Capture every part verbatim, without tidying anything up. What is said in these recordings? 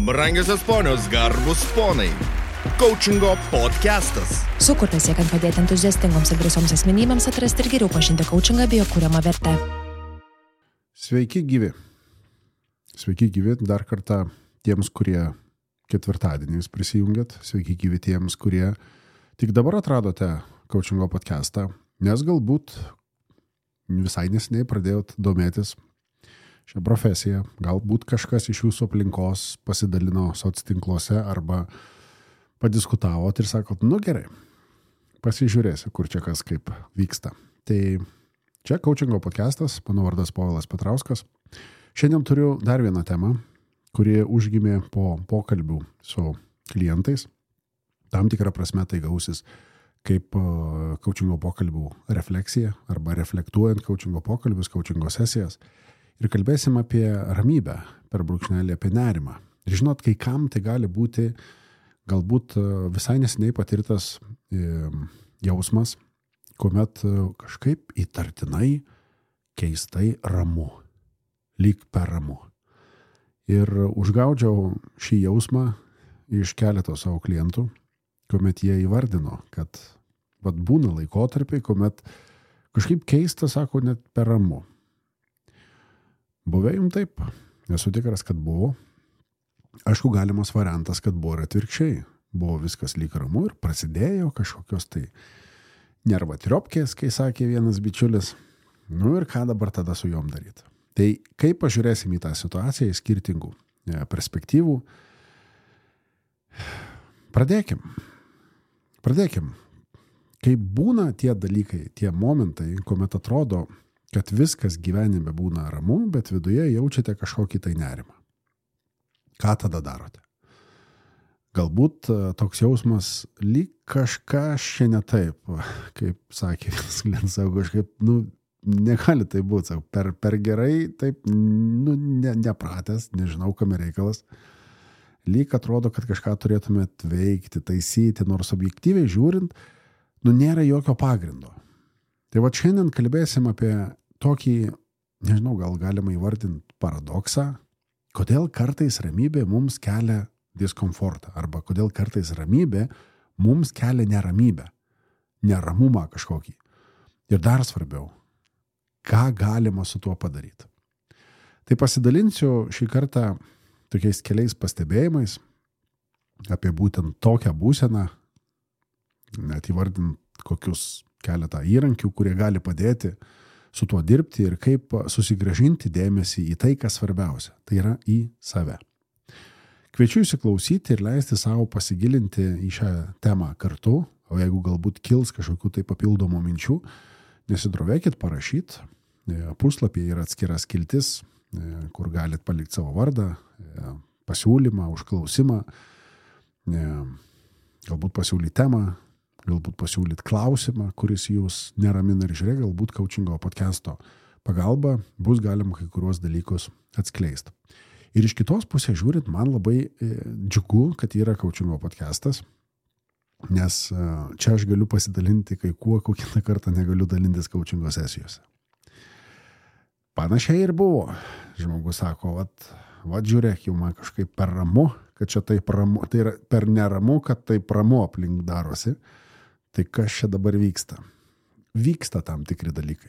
Brangiosios ponios, garbus ponai. Coachingo podcastas. Sukurtas siekiant padėti entuziastingoms ir drąsioms asmenybėms atrasti ir geriau pažinti coachingą bei jo kuriamą vertę. Sveiki gyvi. Sveiki gyvi dar kartą tiems, kurie ketvirtadieniais prisijungėt. Sveiki gyvi tiems, kurie tik dabar atradote coachingo podcastą, nes galbūt visai neseniai pradėjot domėtis šią profesiją. Galbūt kažkas iš jūsų aplinkos pasidalino soctinkluose arba padiskutavot ir sakot, nu gerai, pasižiūrėsiu, kur čia kas kaip vyksta. Tai čia coachingo podcastas, mano vardas Povilas Petrauskas. Šiandien turiu dar vieną temą, kuri užgimė po pokalbių su klientais. Tam tikrą prasme tai gausis kaip coachingo pokalbių refleksija arba reflektuojant coachingo pokalbius, coachingo sesijas. Ir kalbėsim apie ramybę, per brūkšnelį apie nerimą. Ir žinot, kai kam tai gali būti galbūt visai neseniai patirtas jausmas, kuomet kažkaip įtartinai, keistai ramu, lyg per ramu. Ir užgaudžiau šį jausmą iš keleto savo klientų, kuomet jie įvardino, kad vat būna laikotarpiai, kuomet kažkaip keista, sako, net per ramu. Buvę jums taip? Esu tikras, kad buvo. Aišku, galimas variantas, kad buvo ir atvirkščiai. Buvo viskas lyg ramu ir prasidėjo kažkokios tai nervatriopkės, kai sakė vienas bičiulis. Nu ir ką dabar tada su jom daryti? Tai kaip pažiūrėsim į tą situaciją, į skirtingų perspektyvų? Pradėkim. Pradėkim. Kai būna tie dalykai, tie momentai, kuomet atrodo, kad viskas gyvenime būna ramu, bet viduje jaučiate kažkokį tai nerimą. Ką tada darote? Galbūt toks jausmas lyg kažką šiandien taip, kaip sakė vienas klientas, kažkaip, nu, negali tai būti, sako, per, per gerai, taip, nu, ne, nepratęs, nežinau, kam reikalas. Lyg atrodo, kad kažką turėtumėt veikti, taisyti, nors objektyviai žiūrint, nu, nėra jokio pagrindo. Tai va šiandien kalbėsim apie tokį, nežinau, gal galima įvardinti paradoksą, kodėl kartais ramybė mums kelia diskomfortą, arba kodėl kartais ramybė mums kelia neramybę, neramumą kažkokį. Ir dar svarbiau, ką galima su tuo padaryti. Tai pasidalinsiu šį kartą tokiais keliais pastebėjimais apie būtent tokią būseną, net įvardint kokius keletą įrankių, kurie gali padėti su tuo dirbti ir kaip susigrąžinti dėmesį į tai, kas svarbiausia. Tai yra į save. Kviečiu įsiklausyti ir leisti savo pasigilinti į šią temą kartu, o jeigu galbūt kils kažkokių tai papildomų minčių, nesidrovėkit parašyti. Puslapyje yra atskira skiltis, kur galit palikti savo vardą, pasiūlymą, užklausimą, galbūt pasiūlyti temą, galbūt pasiūlyti klausimą, kuris jūs neramina ir žiūrėk, galbūt coachingo podcast'o pagalba bus galima kai kuriuos dalykus atskleisti. Ir iš kitos pusės žiūrint, man labai džiugu, kad yra coachingo podcast'as, nes čia aš galiu pasidalinti kai kuo, kokią kartą negaliu dalintis coachingo sesijose. Panašiai ir buvo. Žmogus sako, vat, vat žiūrėk, jau man kažkaip per ramu, kad čia taip ramu, tai yra per neramu, kad taip ramu aplink darosi. Tai kas čia dabar vyksta? Vyksta tam tikri dalykai.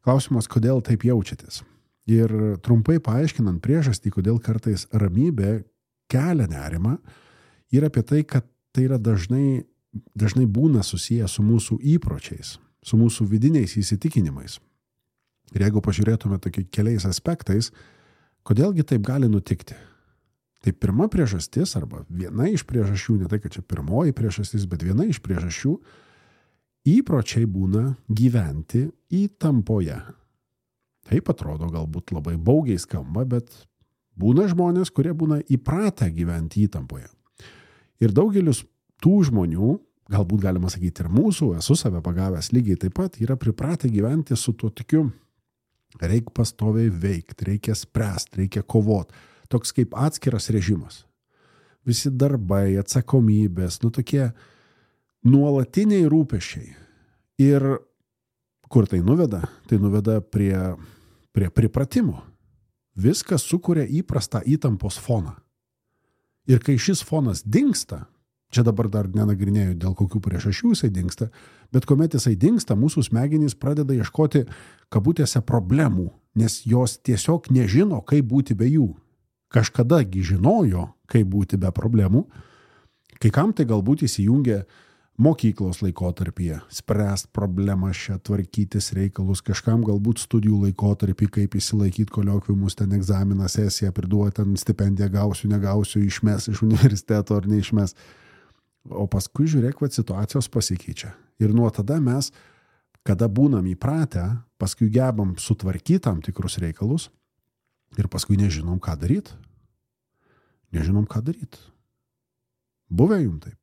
Klausimas, kodėl taip jaučiatės? Ir trumpai paaiškinant priežastį, kodėl kartais ramybė kelia nerimą, yra apie tai, kad tai yra dažnai, dažnai būna susiję su mūsų įpročiais, su mūsų vidiniais įsitikinimais. Ir jeigu pažiūrėtume tokiais keliais aspektais, kodėlgi taip gali nutikti? Tai pirma priežastis, arba viena iš priežasčių, ne tai, kad čia pirmoji priežastis, bet viena iš priežasčių, įpročiai būna gyventi įtampoje. Taip atrodo galbūt labai baugiai skamba, bet būna žmonės, kurie būna įpratę gyventi įtampoje. Ir daugelis tų žmonių, galbūt galima sakyti ir mūsų, esu save pagavęs lygiai taip pat, yra pripratę gyventi su tuo tokiu, reikia pastoviai veikti, reikia spręsti, reikia kovoti. Toks kaip atskiras režimas. Visi darbai, atsakomybės, nu tokie nuolatiniai rūpesčiai. Ir kur tai nuveda? Tai nuveda prie, prie pripratimo. Viskas sukuria įprastą įtampos foną. Ir kai šis fonas dingsta, čia dabar dar nenagrinėjau, dėl kokių priežasčių jisai dingsta, bet kuomet jisai dingsta, mūsų smegenys pradeda ieškoti kabutėse problemų, nes jos tiesiog nežino, kaip būti be jų. Kažkadagi žinojo, kaip būti be problemų, kai kam tai galbūt įsijungia mokyklos laikotarpyje, spręst problemas čia, tvarkytis reikalus, kažkam galbūt studijų laikotarpį, kaip įsilaikyti koliokviumus, ten egzaminą, sesiją, priduoti, ten stipendiją gausiu, negausiu, išmes iš universiteto ar neišmes. O paskui žiūrėk, kad situacijos pasikeičia. Ir nuo tada mes, kada būnam įpratę, paskui gebam sutvarkyti tam tikrus reikalus ir paskui nežinom, ką daryti. Nežinom, ką daryti. Buvę jum taip.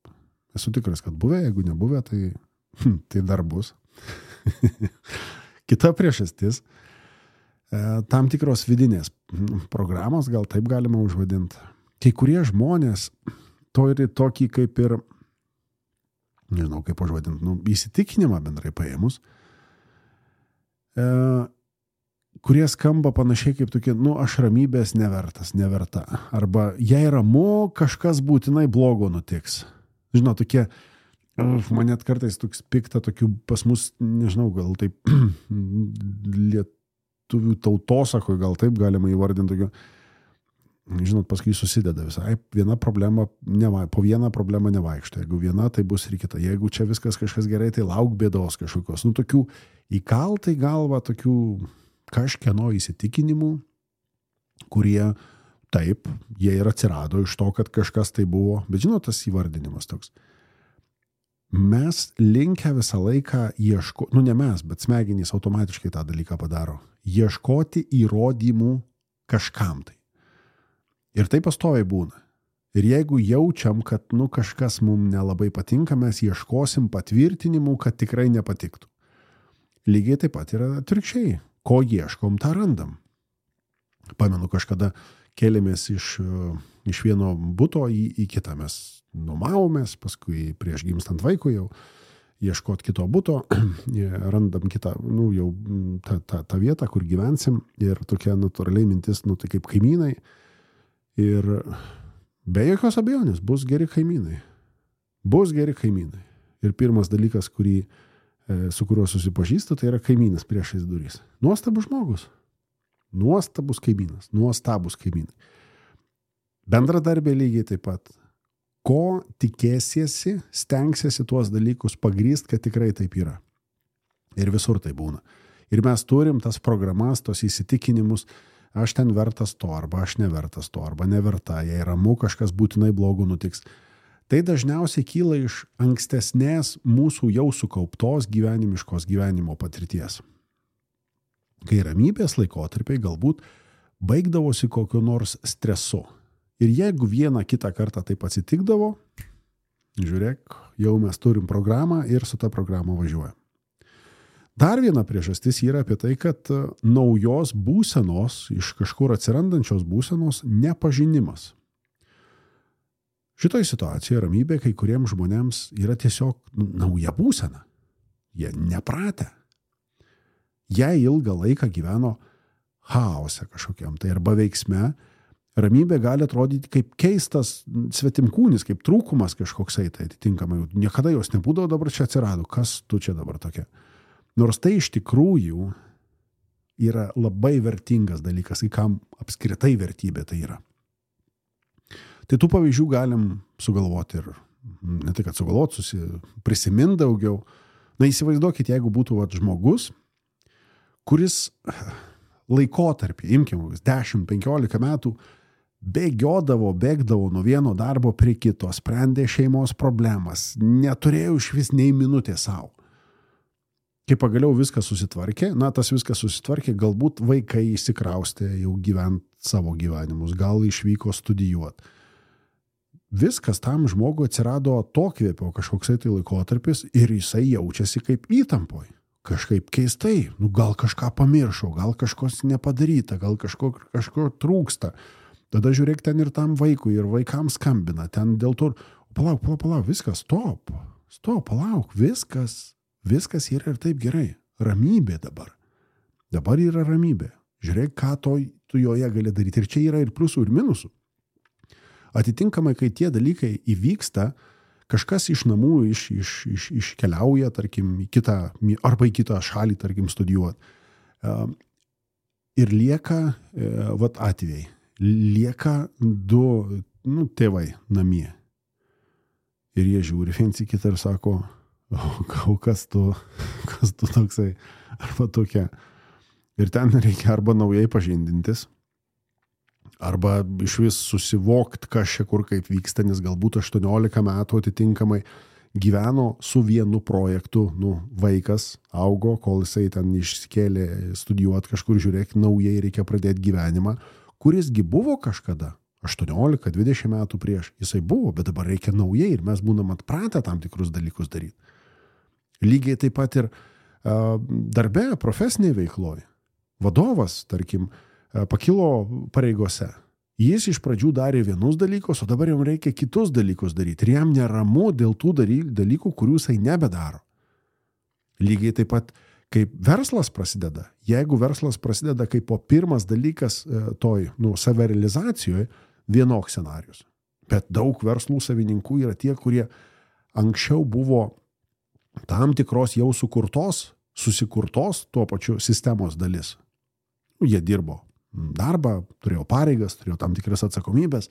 Esu tikras, kad buvę, jeigu nebuvę, tai, tai dar bus. Kita priežastis, tam tikros vidinės programos, gal taip galima užvadinti. Kai kurie žmonės turi tokį kaip ir, nežinau kaip užvadinti, nu, įsitikinimą bendrai paėmus, e, kurie skamba panašiai kaip tokie, nu, aš ramybės nevertas, neverta. Arba jei ramu, kažkas būtinai blogo nutiks. Žinau, tokie, man net kartais toks pikta, tokių pas mus, nežinau, gal taip lietuvių tautosakoj, gal taip galima įvardinti tokių, žinot, paskui susideda visai. Viena problema, neva, po vieną problemą nevaikšto. Jeigu viena, tai bus ir kita. Jeigu čia viskas kažkas gerai, tai lauk bėdos kažkokios. Nu, tokių įkaltai galva, tokių kažkieno įsitikinimų, kurie taip, jie ir atsirado iš to, kad kažkas tai buvo. Bet žinot, tas įvardinimas toks. Mes linkę visą laiką ieško, nu ne mes, bet smegenys automatiškai tą dalyką padaro. Ieškoti įrodymų kažkam tai. Ir tai pastoviai būna. Ir jeigu jaučiam, kad nu, kažkas mums nelabai patinka, mes ieškosim patvirtinimų, kad tikrai nepatiktų. Lygiai taip pat yra atvirkščiai. Ko ieškom, tą randam. Pamenu, kažkada kėlėmės iš, iš vieno buto į, į kitą. Mes nuomavomės, paskui prieš gimstant vaikui jau ieškot kito buto, randam kitą, nu, jau tą, tą, tą vietą, kur gyvensim. Ir tokia natūraliai mintis, nu, tai kaip kaimynai. Ir be jokios abejonės bus geri kaimynai. Bus geri kaimynai. Ir pirmas dalykas, kurį, su kuriuo susipažįstu, tai yra kaimynas priešais durys. Nuostabus žmogus. Nuostabus kaimynas. Nuostabus kaimynai. Bendradarbė lygiai taip pat. Ko tikėsiesi, stengsiesi tuos dalykus pagrįst, kad tikrai taip yra. Ir visur tai būna. Ir mes turim tas programas, tos įsitikinimus, aš ten vertas to, arba aš nevertas to, arba neverta, jei ramu, kažkas būtinai blogo nutiks. Tai dažniausiai kyla iš ankstesnės mūsų jau sukauptos gyvenimiškos gyvenimo patirties. Kai ramybės laikotarpiai galbūt baigdavosi kokiu nors stresu. Ir jeigu vieną kitą kartą taip atsitikdavo, žiūrėk, jau mes turim programą ir su ta programa važiuojam. Dar viena priežastis yra apie tai, kad naujos būsenos, iš kažkur atsirandančios būsenos nepažinimas. Šitoj situacijoje ramybė kai kuriems žmonėms yra tiesiog nauja būsena. Jie nepratę. Jie ilgą laiką gyveno chaose kažkokiam, tai arba veiksme. Ramybė gali atrodyti kaip keistas svetimkūnis, kaip trūkumas kažkoksai, tai atitinkamai. Niekada jos nebūdavo, dabar čia atsirado. Kas tu čia dabar tokia? Nors tai iš tikrųjų yra labai vertingas dalykas, į kam apskritai vertybė tai yra. Tai tų pavyzdžių galim sugalvoti ir ne tik, kad sugalvoti, susi, prisimint daugiau. Na, įsivaizduokit, jeigu būtų vat, žmogus, kuris laikotarpį, imkim, dešimt penkiolika metų, bėgiodavo, bėgdavo nuo vieno darbo prie kito, sprendė šeimos problemas, neturėjo iš vis nei minutės savo. Kai pagaliau viskas susitvarkė, na, tas viskas susitvarkė, galbūt vaikai įsikraustė jau gyvent savo gyvenimus, gal išvyko studijuoti. Viskas tam žmogui atsirado atokvėpio kažkoksai tai laikotarpis ir jisai jaučiasi kaip įtampoj. Kažkaip keistai, nu, gal kažką pamiršau, gal kažkos nepadaryta, gal kažko, kažko trūksta. Tada žiūrėk ten ir tam vaikui, ir vaikams skambina, ten dėl to, palauk, palauk, palauk, viskas, stop, stop, palauk, viskas, viskas yra ir taip gerai. Ramybė dabar. Dabar yra ramybė. Žiūrėk, ką to, tu joje gali daryti. Ir čia yra ir pliusų, ir minusų. Atitinkamai, kai tie dalykai įvyksta, kažkas iš namų iš, iš, iš, iškeliauja, tarkim, į kitą, arba į kitą šalį, tarkim, studijuoti. Ir lieka, vat atvejai, lieka du, nu, tėvai namie. Ir jie žiūri viens į kitą ir sako, o kas tu, kas tu toksai, arba tokia. Ir ten reikia arba naujai pažindintis, arba iš vis susivokti, kas čia kur kaip vyksta, nes galbūt aštuoniolika metų atitinkamai gyveno su vienu projektu, nu, vaikas augo, kol jisai ten išsikėlė studijuoti kažkur, žiūrėk, naujai reikia pradėti gyvenimą, kurisgi buvo kažkada, aštuoniolika dvidešimt metų prieš, jisai buvo, bet dabar reikia naujai ir mes būnam atpratę tam tikrus dalykus daryti. Lygiai taip pat ir uh, darbe, profesinėje veikloje. Vadovas, tarkim, pakilo pareigose. Jis iš pradžių darė vienus dalykus, o dabar jam reikia kitus dalykus daryti. Ir jam neramu dėl tų dalykų, kurių jisai nebedaro. Lygiai taip pat, kaip verslas prasideda. Jeigu verslas prasideda kaip po pirmas dalykas toj, nu, savirealizacijoje, vienoks scenarius. Bet daug verslų savininkų yra tie, kurie anksčiau buvo tam tikros jau sukurtos, susikurtos tuo pačiu sistemos dalis. Jie dirbo darbą, turėjo pareigas, turėjo tam tikras atsakomybės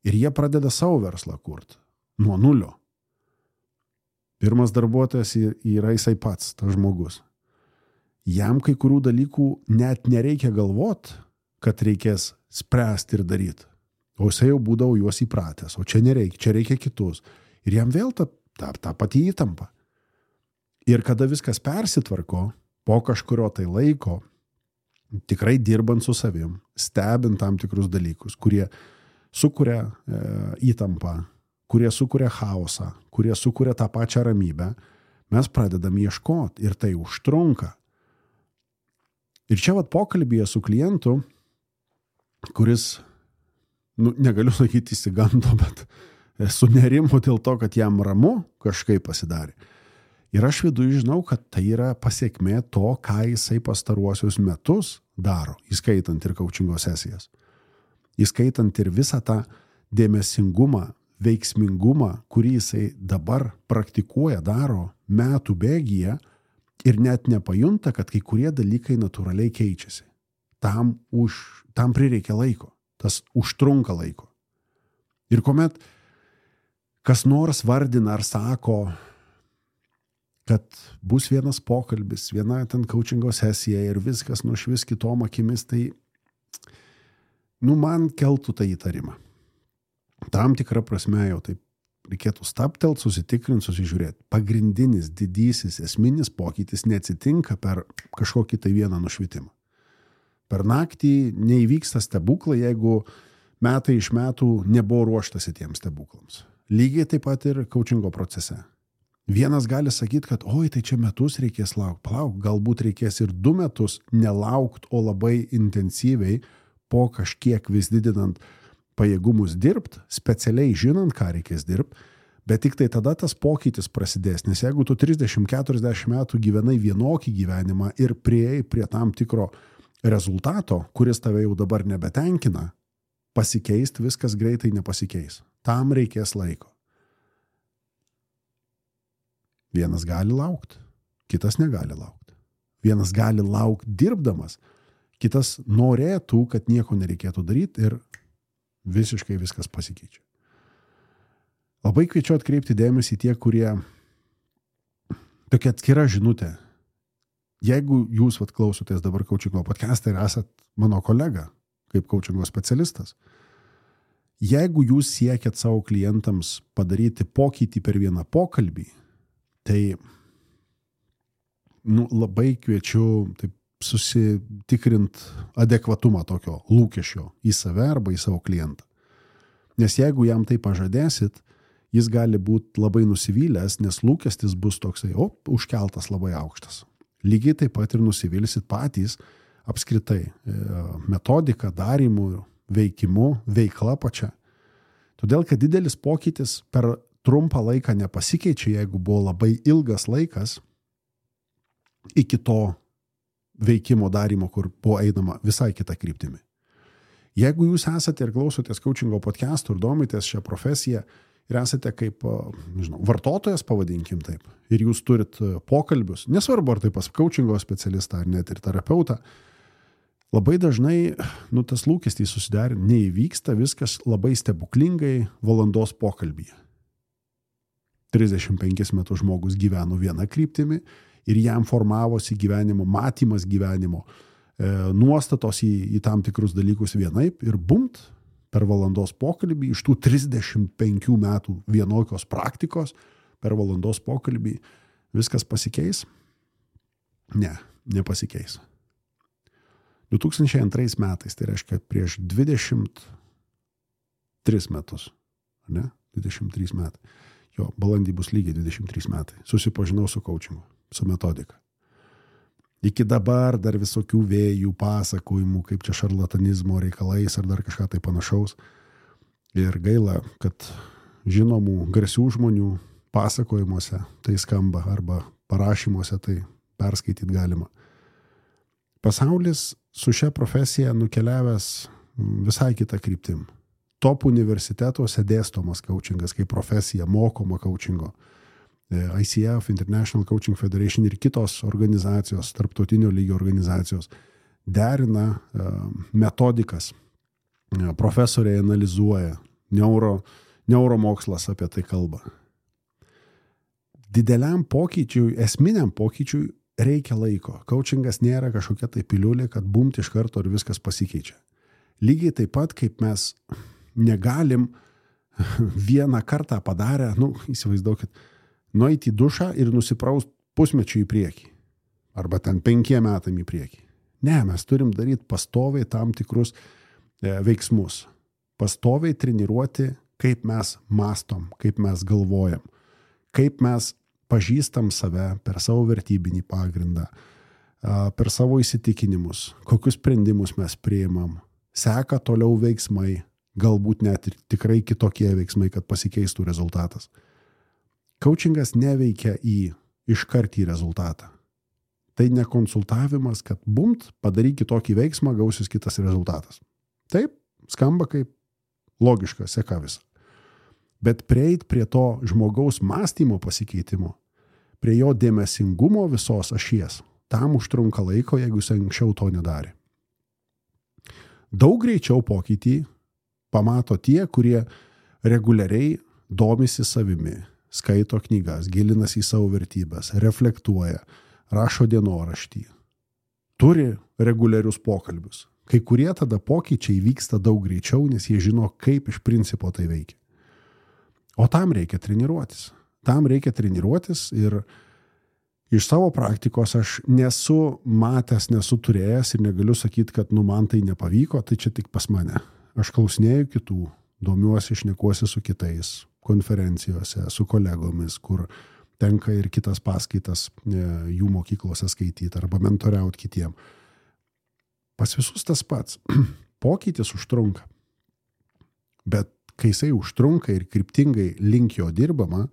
ir jie pradeda savo verslą kurti nuo nulio. Pirmas darbuotojas yra jisai pats, tas žmogus. Jam kai kurių dalykų net nereikia galvot, kad reikės spręsti ir daryti. O jisai jau būdavo juos įpratęs, o čia nereikia, čia reikia kitus. Ir jam vėl ta, ta, ta pati įtampa. Ir kada viskas persitvarko, po kažkurio tai laiko, tikrai dirbant su savim, stebint tam tikrus dalykus, kurie sukuria e, įtampą, kurie sukuria chaosą, kurie sukuria tą pačią ramybę, mes pradedam ieškoti ir tai užtrunka. Ir čia vat pokalbyje su klientu, kuris, nu, negaliu sakyti įsigando, bet sunerimo dėl to, kad jam ramu kažkaip pasidarė. Ir aš viduje žinau, kad tai yra pasiekmė to, ką jisai pastaruosius metus daro, įskaitant ir coachingo sesijas. Įskaitant ir visą tą dėmesingumą, veiksmingumą, kurį jisai dabar praktikuoja, daro metų bėgyje ir net nepajunta, kad kai kurie dalykai natūraliai keičiasi. Tam, už, tam prireikia laiko, tas užtrunka laiko. Ir kuomet kas nors vardina ar sako, kad bus vienas pokalbis, viena ten coachingo sesija ir viskas nušvis kitom akimis, tai, nu, man keltų tą įtarimą. Tam tikrą prasme jau taip reikėtų staptelt, susitikrinti, susižiūrėti. Pagrindinis, didysis, esminis pokytis neatsitinka per kažkokį tai vieną nušvitimą. Per naktį neįvyksta stebuklai, jeigu metai iš metų nebuvo ruoštasi tiems stebuklams. Lygiai taip pat ir coachingo procese. Vienas gali sakyti, kad oi, tai čia metus reikės laukti. Palauk, galbūt reikės ir du metus nelaukti, o labai intensyviai po kažkiek vis didinant pajėgumus dirbti, specialiai žinant, ką reikės dirbti, bet tik tai tada tas pokytis prasidės. Nes jeigu tu trisdešimt keturiasdešimt metų gyvenai vienokį gyvenimą ir priėjai prie tam tikro rezultato, kuris tave jau dabar nebetenkina, pasikeisti viskas greitai nepasikeis. Tam reikės laiko. Vienas gali laukti, kitas negali laukti. Vienas gali laukti dirbdamas, kitas norėtų, kad nieko nereikėtų daryti ir visiškai viskas pasikeičia. Labai kviečiu atkreipti dėmesį tie, kurie tokia atskira žinutė. Jeigu jūs vat, klausotės dabar coachingo podcastą ir esat mano kolega kaip coachingo specialistas, jeigu jūs siekiat savo klientams padaryti pokytį per vieną pokalbį, tai nu, labai kviečiu taip, susitikrint adekvatumą tokio lūkesčio į save arba į savo klientą. Nes jeigu jam tai pažadėsit, jis gali būti labai nusivylęs, nes lūkestis bus toksai, o, užkeltas labai aukštas. Lygiai taip pat ir nusivilsit patys apskritai metodika, darymu, veikimu, veikla pačia. Todėl, kad didelis pokytis per trumpą laiką nepasikeičia, jeigu buvo labai ilgas laikas iki to veikimo darymo, kur buvo einama visai kita kryptimi. Jeigu jūs esate ir klausotės coachingo podcastų ir domitės šią profesiją ir esate kaip, nežinau, vartotojas, pavadinkim taip, ir jūs turit pokalbius, nesvarbu ar tai pas coachingo specialistą ar net ir terapeutą, labai dažnai, nu, tas lūkestis susiderina, neįvyksta viskas labai stebuklingai valandos pokalbyje. trisdešimt penkis metus žmogus gyveno vieną kryptimį ir jam formavosi gyvenimo, matymas gyvenimo, e, nuostatos į, į tam tikrus dalykus vienaip ir bumt per valandos pokalbį iš tų trisdešimt penkių metų vienokios praktikos per valandos pokalbį viskas pasikeis? Ne, nepasikeis. du tūkstančiai antrais metais, tai reiškia prieš dvidešimt tris metus, ne? dvidešimt trys metai. Jo, balandį bus lygiai dvidešimt trys metai. Susipažinau su coachingu, su metodika. Iki dabar dar visokių vėjų, pasakojimų, kaip čia šarlatanizmo reikalais ar dar kažką tai panašaus. Ir gaila, kad žinomų garsių žmonių pasakojimuose tai skamba arba parašymuose tai perskaityti galima. Pasaulis su šia profesija nukeliavęs visai kitą kryptim. Top universitetuose dėstomas coachingas kaip profesija, mokoma coachingo. I C F, International Coaching Federation ir kitos organizacijos, tarptautinio lygio organizacijos derina metodikas. Profesoriai analizuoja, neuro, neuromokslas apie tai kalba. Dideliam pokyčiui, esminiam pokyčiui reikia laiko. Coachingas nėra kažkokia tai piliulė, kad bumt iš karto ir viskas pasikeičia. Lygiai taip pat, kaip mes negalim vieną kartą padarę, nu, įsivaizduokit, nueiti į dušą ir nusipraust pusmečių į priekį. Arba ten penkiem metam į priekį. Ne, mes turim daryti pastoviai tam tikrus e, veiksmus. Pastoviai treniruoti, kaip mes mastom, kaip mes galvojam, kaip mes pažįstam save per savo vertybinį pagrindą, per savo įsitikinimus, kokius sprendimus mes priimam, seka toliau veiksmai, galbūt net ir tikrai kitokie veiksmai, kad pasikeistų rezultatas. Coachingas neveikia į iškart į rezultatą. Tai ne konsultavimas, kad bumt, padaryk kitokį veiksmą, gausis kitas rezultatas. Taip, skamba kaip logiška, seka visą. Bet prieit prie to žmogaus mąstymo pasikeitimo, prie jo dėmesingumo visos ašies, tam užtrunka laiko, jeigu jis anksčiau to nedarė. Daug greičiau pokytį pamato tie, kurie reguliariai domisi savimi, skaito knygas, gilinasi į savo vertybės, reflektuoja, rašo dienoraštį, turi reguliarius pokalbius. Kai kurie tada pokyčiai vyksta daug greičiau, nes jie žino, kaip iš principo tai veikia. O tam reikia treniruotis. Tam reikia treniruotis ir iš savo praktikos aš nesu matęs, nesu turėjęs ir negaliu sakyti, kad nu man tai nepavyko, tai čia tik pas mane. Aš klausinėju kitų, domiuosi, šnekuosi su kitais konferencijose, su kolegomis, kur tenka ir kitas paskaitas jų mokyklose skaityti arba mentoriauti kitiem. Pas visus tas pats. Pokytis užtrunka. Bet kai jisai užtrunka ir kryptingai link jo dirbama,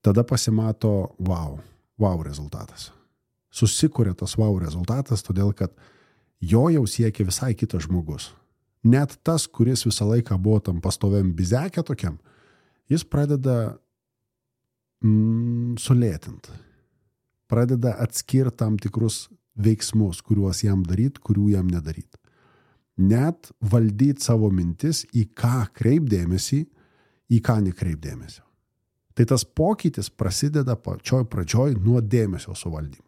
tada pasimato wow, wow rezultatas. Susikuria tas wow rezultatas, todėl kad jo jau siekia visai kitas žmogus. Net tas, kuris visą laiką buvo tam pastoviam bizekė tokiam, jis pradeda mm, sulėtint. Pradeda atskirti tam tikrus veiksmus, kuriuos jam daryt, kurių jam nedaryt. Net valdyti savo mintis, į ką kreipdėmėsi, į ką nekreipdėmėsio. Tai tas pokytis prasideda pačioj pradžioj nuo dėmesio suvaldymo.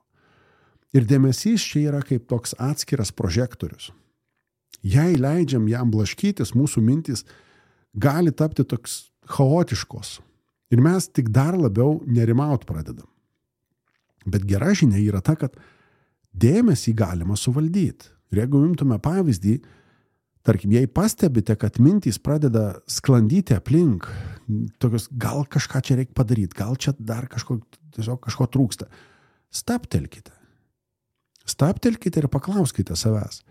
Ir dėmesys čia yra kaip toks atskiras prožektorius. Jei leidžiam jam blaškytis, mūsų mintis gali tapti toks chaotiškos. Ir mes tik dar labiau nerimaut pradedam. Bet gera žinia yra ta, kad dėmesį galima suvaldyti. Ir jeigu imtume pavyzdį, tarkim, jei pastebite, kad mintys pradeda sklandyti aplink, tokios, gal kažką čia reikia padaryti, gal čia dar kažko, tiesiog kažko trūksta, stabtelkite. Stabtelkite ir paklauskite savęs,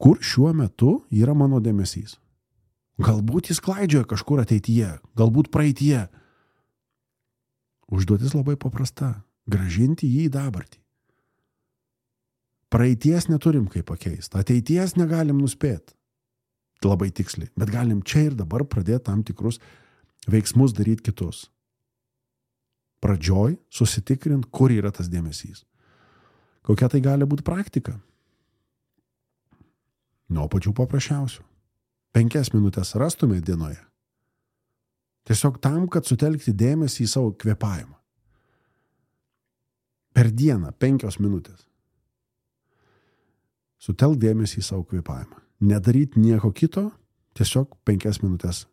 kur šiuo metu yra mano dėmesys. Galbūt jis klaidžioja kažkur ateityje, galbūt praeityje. Užduotis labai paprasta – grąžinti jį į dabartį. Praeities neturim kaip pakeisti, ateities negalim nuspėti. labai tiksliai, bet galim čia ir dabar pradėti tam tikrus veiksmus daryti kitus. Pradžioj susitikrint, kur yra tas dėmesys. Kokia tai gali būti praktika? Nuo pačių paprasčiausių. Penkias minutės rastume dienoje. Tiesiog tam, kad sutelkti dėmesį į savo kvėpavimą. Per dieną penkios minutės. Sutelk dėmesį į savo kvėpavimą. Nedaryt nieko kito, tiesiog penkias minutės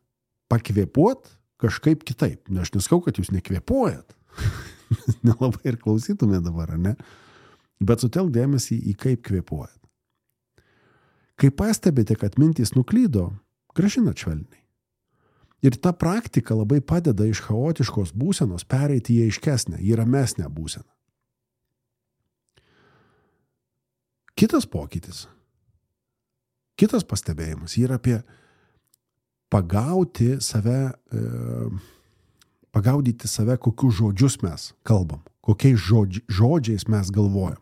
pakvėpuot kažkaip kitaip. Ne, aš neskau, kad jūs nekvėpuojat. Nelabai ir klausytume dabar, ne? Bet sutelk dėmesį į kaip kvėpuojat. Kai pastebite, kad mintys nuklydo, grąžinat švelniai. Ir ta praktika labai padeda iš chaotiškos būsenos pereiti į aiškesnę, į ramesnę būseną. Kitas pokytis, kitas pastebėjimas yra apie pagauti save, e, pagaudyti save, kokius žodžius mes kalbam, kokiais žodži, žodžiais mes galvojam.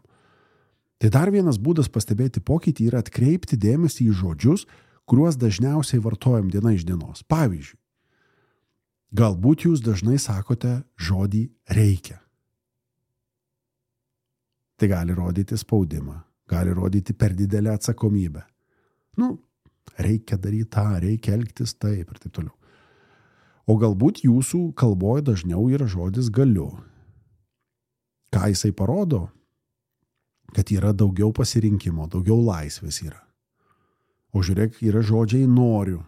Tai dar vienas būdas pastebėti pokytį yra atkreipti dėmesį į žodžius, kuriuos dažniausiai vartojam diena iš dienos. Pavyzdžiui, galbūt jūs dažnai sakote žodį reikia. Tai gali rodyti spaudimą, gali rodyti per didelę atsakomybę. Nu, reikia daryti tą, reikia elgtis taip ir taip toliau. O galbūt jūsų kalboje dažniau yra žodis galiu. Ką jisai parodo? Kad yra daugiau pasirinkimo, daugiau laisvės yra. O žiūrėk, yra žodžiai noriu.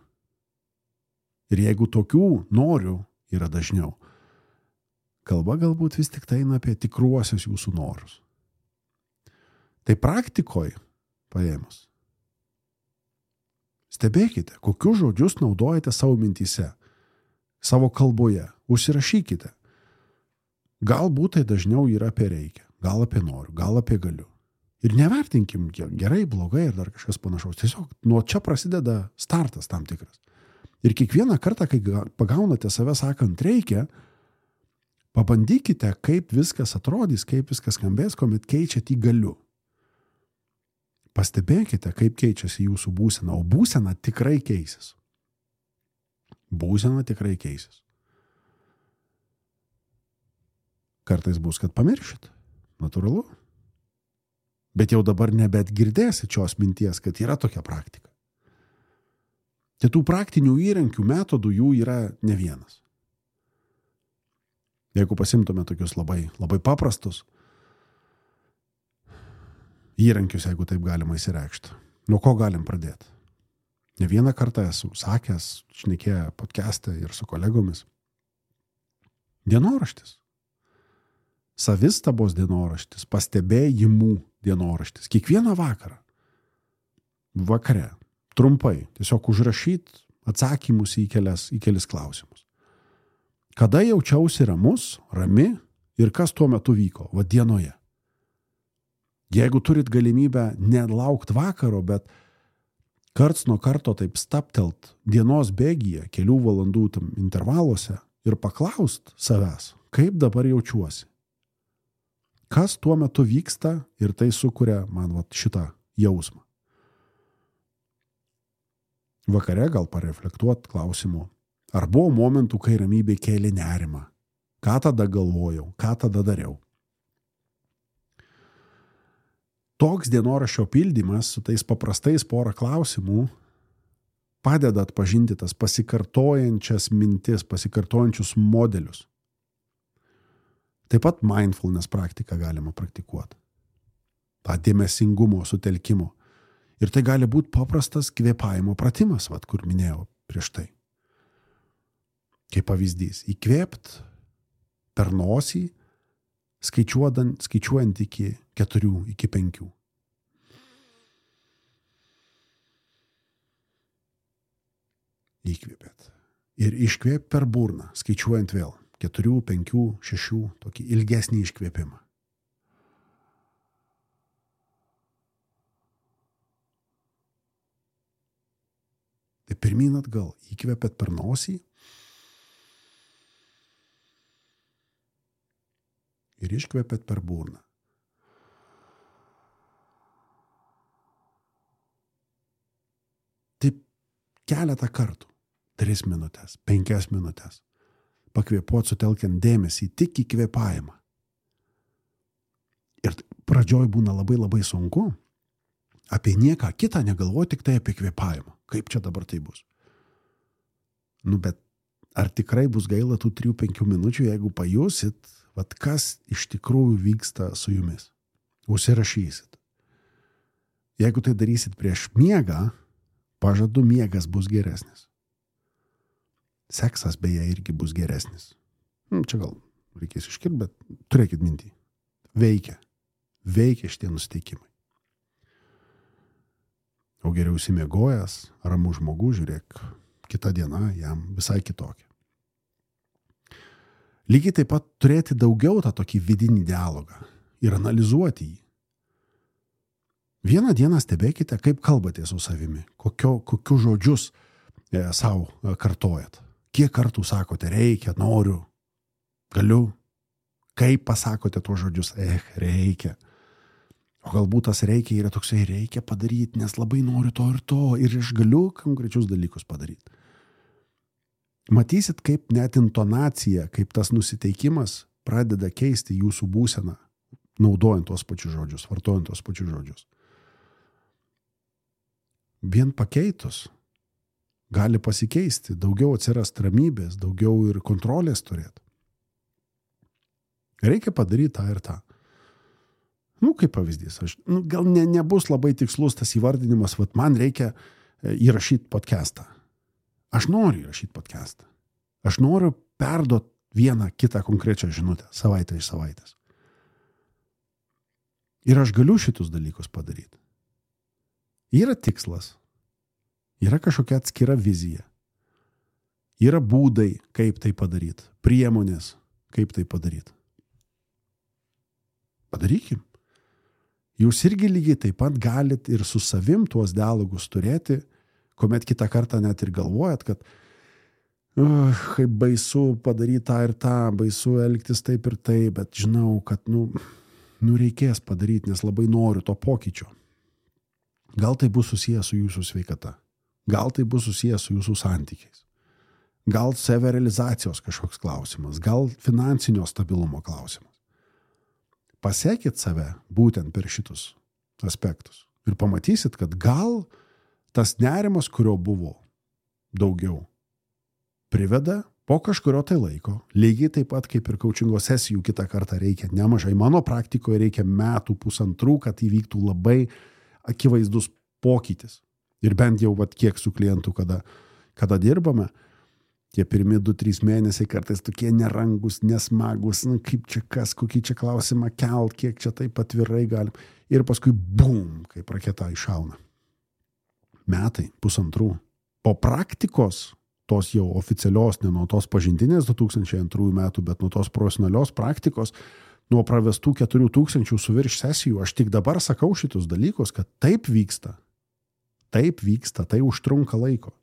Ir jeigu tokių noriu yra dažniau, kalba galbūt vis tik tai eina apie tikruosius jūsų norus. Tai praktikoje paėmus. Stebėkite, kokius žodžius naudojate savo mintyse, savo kalboje. Užsirašykite. Galbūt tai dažniau yra apie reikia, gal apie noriu, gal apie galiu. Ir nevertinkim gerai, blogai ir dar kažkas panašaus. Tiesiog nuo čia prasideda startas tam tikras. Ir kiekvieną kartą, kai pagaunate save sakant reikia, pabandykite, kaip viskas atrodys, kaip viskas skambės, kuomet keičiat į galiu. Pastebėkite, kaip keičiasi jūsų būsena, o būsena tikrai keisis. Būsena tikrai keisis. Kartais bus, kad pamiršit. Natūralu. Bet jau dabar nebet girdėsit šios minties, kad yra tokia praktika. Tai tų praktinių įrankių metodų jų yra ne vienas. Jeigu pasimtume tokius labai, labai paprastus įrankius, jeigu taip galima įsireikšti, nuo ko galim pradėti? Ne vieną kartą esu sakęs, šnekėję podcast'e ir su kolegomis. Dienoraštis. Savistabos dienoraštis, pastebėjimų dienoraštis. Kiekvieną vakarą, vakare, trumpai, tiesiog užrašyt atsakymus į kelias, į kelis klausimus. Kada jaučiausi ramus, rami ir kas tuo metu vyko, va dienoje. Jeigu turit galimybę nelaukt vakaro, bet karts nuo karto taip staptelt dienos bėgyje, kelių valandų tam intervaluose ir paklaust savęs, kaip dabar jaučiuosi. Kas tuo metu vyksta ir tai sukuria man vat šitą jausmą. Vakare gal pareflektuot klausimu, ar buvo momentų, kai ramybė kėlė nerimą, ką tada galvojau, ką tada dariau. Toks dienoraščio pildymas su tais paprastais porą klausimų padeda atpažinti tas pasikartojančias mintis, pasikartojančius modelius. Taip pat mindfulness praktiką galima praktikuoti. Ta dėmesingumo sutelkimo. Ir tai gali būti paprastas kvėpavimo pratimas, vat, kur minėjau prieš tai. Kaip pavyzdys, įkvėpt per nosį, skaičiuojant, skaičiuojant iki keturių, iki penkių. Įkvėpėt. Ir iškvėp per burną, skaičiuojant vėl. Keturių, penkių, šešių, tokį ilgesnį iškvėpimą. Tai pirmyn atgal, įkvėpėt per nosį ir iškvėpėt per burną. Taip keletą kartų. Tris minutės, penkias minutės. Pakvėpuot sutelkiant dėmesį tik į kvėpavimą. Ir pradžioj būna labai labai sunku. Apie nieką kitą negalvoti, tik tai apie kvėpavimą. Kaip čia dabar tai bus? Nu, bet ar tikrai bus gaila tų trijų penkių minučių, jeigu pajusit, vat kas iš tikrųjų vyksta su jumis? Užsirašysit. Jeigu tai darysit prieš miegą, pažadu, miegas bus geresnis. Seksas beje irgi bus geresnis. Čia gal reikės iškirti, bet turėkit mintį. Veikia. Veikia šitie nusteikimai. O geriau įsimiegojęs, ramų žmogus, žiūrėk, kita diena jam visai kitokia. Lygiai taip pat turėti daugiau tą tokį vidinį dialogą ir analizuoti jį. Vieną dieną stebėkite, kaip kalbate su savimi, kokio, kokius žodžius e, savo e, kartojat. Kiek kartų sakote, reikia, noriu, galiu. Kaip pasakote tuos žodžius, eh, reikia. O galbūt tas reikia yra toksai, reikia padaryti, nes labai noriu to ir to, ir aš galiu konkrečius dalykus padaryti. Matysit, kaip net intonacija, kaip tas nusiteikimas pradeda keisti jūsų būseną, naudojant tuos pačius žodžius, vartojant tuos pačius žodžius. Vien pakeitus gali pasikeisti, daugiau atsirast ramybės, daugiau ir kontrolės turėti. Reikia padaryti tą ir tą. Nu, kaip pavyzdys, aš, nu, gal ne, nebus labai tikslus tas įvardinimas, vat man reikia įrašyti podcastą. Aš noriu įrašyti podcastą. Aš noriu perduoti vieną kitą konkrečią žinutę, savaitę iš savaitės. Ir aš galiu šitus dalykus padaryti. Yra tikslas. Yra kažkokia atskira vizija. Yra būdai, kaip tai padaryti. Priemonės, kaip tai padaryti. Padarykim. Jūs irgi lygiai taip pat galit ir su savim tuos dialogus turėti, kuomet kitą kartą net ir galvojat, kad uh, kaip baisu padaryti tą ir tą, baisu elgtis taip ir taip, bet žinau, kad nu, nu reikės padaryti, nes labai noriu to pokyčio. Gal tai bus susijęs su jūsų sveikata. Gal tai bus susijęs su jūsų santykiais. Gal savirealizacijos kažkoks klausimas. Gal finansinio stabilumo klausimas. Pasekit save būtent per šitus aspektus. Ir pamatysit, kad gal tas nerimas, kurio buvo daugiau, priveda po kažkurio tai laiko. Lygiai taip pat kaip ir coachingo sesijų kitą kartą reikia nemažai. Mano praktikoje reikia metų pusantrų, kad įvyktų labai akivaizdus pokytis. Ir bent jau vat, kiek su klientu, kada, kada dirbame, tie pirmi du trys mėnesiai kartais tokie nerangus, nesmagus, nu, kaip čia kas, kokį čia klausimą kelt, kiek čia taip atvirai galim. Ir paskui bum, kaip raketa iššauna. Metai, pusantrų. Po praktikos, tos jau oficialios, ne nuo tos pažintinės du tūkstančiai antrųjų metų, bet nuo tos profesionalios praktikos, nuo pravestų keturių tūkstančių su virš sesijų, aš tik dabar sakau šitus dalykus, kad taip vyksta. Taip vyksta, tai užtrunka laiko.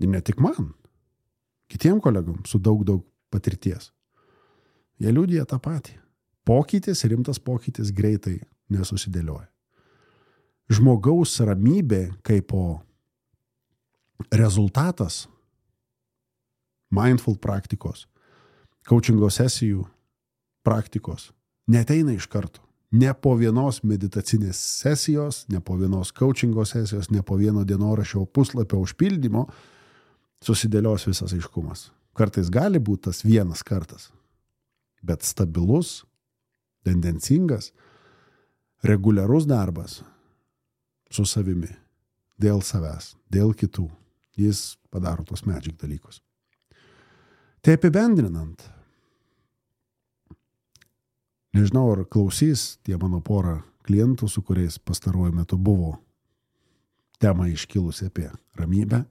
Ir ne tik man. Kitiem kolegom su daug, daug patirties. Jie liudija tą patį. Pokytis, rimtas pokytis greitai nesusidėlioja. Žmogaus ramybė kaip po rezultatas mindful praktikos, coachingo sesijų praktikos neateina iš karto. Ne po vienos meditacinės sesijos, ne po vienos coachingo sesijos, ne po vieno dienoraščio puslapio užpildymo susidėlios visas aiškumas. Kartais gali būti tas vienas kartas, bet stabilus, tendencingas, reguliarus darbas su savimi, dėl savęs, dėl kitų. Jis padaro tos magic dalykus. Tai apibendrinant, nežinau, ar klausys tie mano pora klientų, su kuriais pastaruoju metu buvo tema iškilusi apie ramybę,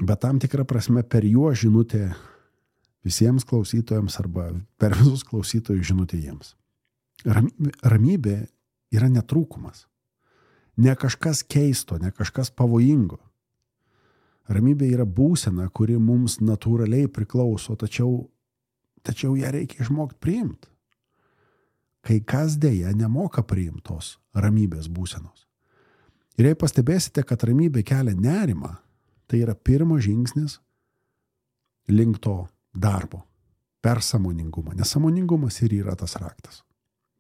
bet tam tikrą prasme per juo žinutė visiems klausytojams arba per visus klausytojus žinutė jiems. Ramybė, ramybė yra netrūkumas. Ne kažkas keisto, ne kažkas pavojingo. Ramybė yra būsena, kuri mums natūraliai priklauso, tačiau, tačiau ją reikia išmokti priimti. Kai kas dėja nemoka priimtos ramybės būsenos. Ir jei pastebėsite, kad ramybė kelia nerimą, tai yra pirmas žingsnis link to darbo, per sąmoningumą. Nes sąmoningumas ir yra tas raktas.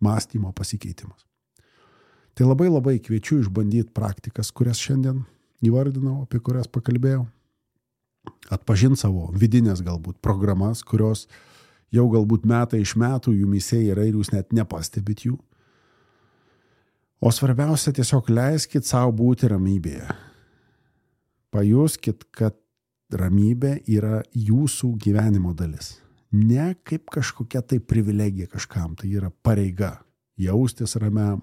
Mąstymo pasikeitimas. Tai labai labai kviečiu išbandyti praktikas, kurias šiandien įvardinau, apie kurias pakalbėjau. Atpažinti savo vidinės galbūt programas, kurios jau galbūt metai iš metų jumyse yra ir jūs net nepastebit jų. O svarbiausia, tiesiog leiskit savo būti ramybėje. Pajuskit, kad ramybė yra jūsų gyvenimo dalis. Ne kaip kažkokia tai privilegija kažkam, tai yra pareiga. Jaustis ramiam,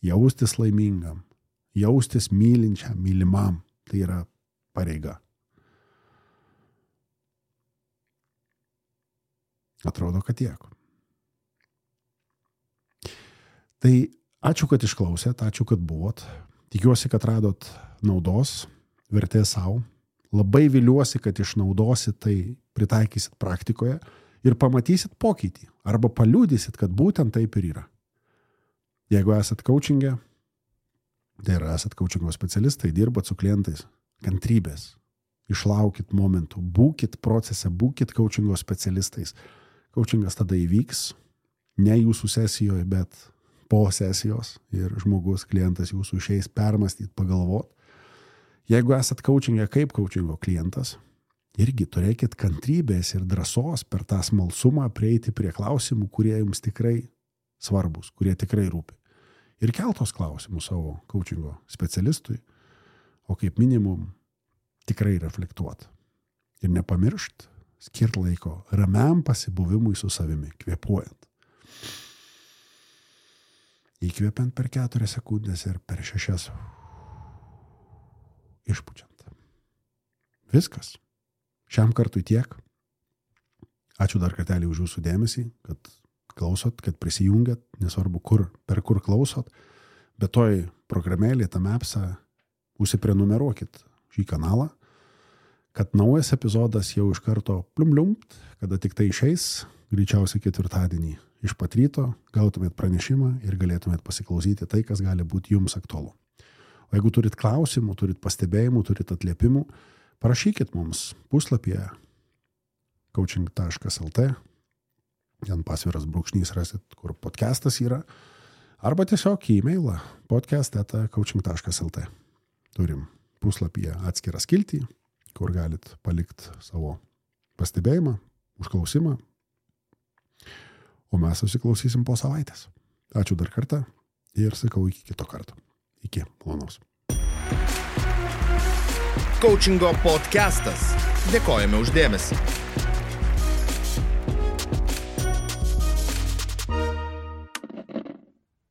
jaustis laimingam, jaustis mylinčiam, mylimam. Tai yra pareiga. Atrodo, kad tiek. Tai ačiū, kad išklausėt, ačiū, kad buvot. Tikiuosi, kad radot naudos, vertės savo. Labai viliuosi, kad išnaudosit tai, pritaikysit praktikoje ir pamatysit pokytį. Arba paliudysit, kad būtent taip ir yra. Jeigu esat coachingė, tai yra esat coachingo specialistai, dirbat su klientais, kantrybės, išlaukit momentų, būkit procese, būkit coachingo specialistais. Coachingas tada įvyks, ne jūsų sesijoje, bet po sesijos ir žmogus, klientas jūsų išeis permastyti, pagalvot. Jeigu esat coachingė kaip coachingo klientas, irgi turėkit kantrybės ir drąsos per tą smalsumą prieiti prie klausimų, kurie jums tikrai svarbus, kurie tikrai rūpi. Ir keltos klausimus savo coachingo specialistui, o kaip minimum tikrai reflektuot. Ir nepamiršt, skirt laiko ramiam pasibuvimui su savimi, kvėpuojant. Įkvėpiant per keturias sekundės ir per šešias išpučiant. Viskas. Šiam kartui tiek. Ačiū dar kartelį už jūsų dėmesį, kad klausot, kad prisijungiat, nesvarbu kur, per kur klausot, bet toj programėlė, tam appsą, užsiprenumeruokit šį kanalą, kad naujas epizodas jau iš karto pliumliumt, kada tik tai išeis, greičiausiai ketvirtadienį iš pat ryto, gautumėt pranešimą ir galėtumėt pasiklausyti tai, kas gali būti jums aktualu. O jeigu turit klausimų, turit pastebėjimų, turit atliepimų, parašykit mums puslapyje coaching taškas lt, ten pasviras brūkšnys rasit, kur podcastas yra, arba tiesiog į e-mailą podcast eta coaching taškas lt. Turim puslapyje atskirą skiltį, kur galit palikti savo pastebėjimą, užklausimą, o mes susiklausysim po savaitės. Ačiū dar kartą ir sakau iki kito karto. Iki, malonaus. Coachingo podcastas. Dėkojame už dėmesį.